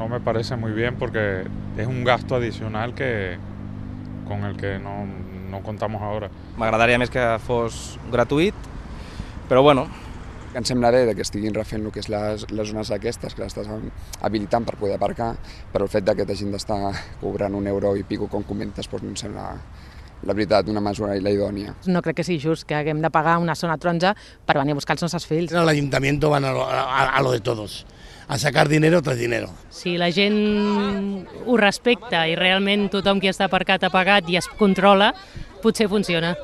no me parece muy bien porque es un gasto adicional con el que no contamos ahora. M'agradaria més que fos gratuït, però bueno. Em sembla bé que estiguin refent el que és les zones aquestes, que les estàs habilitant per poder aparcar, però el fet que t'hagin d'estar cobrant €1 i pico, com comentes, doncs no em sembla, la veritat, una mesura idònia. No crec que sigui just que haguem de pagar una zona taronja per venir a buscar els nostres fills. El ayuntamiento van a lo de todos, a sacar dinero tras dinero. Si la gent ho respecta i realment tothom qui està aparcat ha pagat i es controla, potser funciona.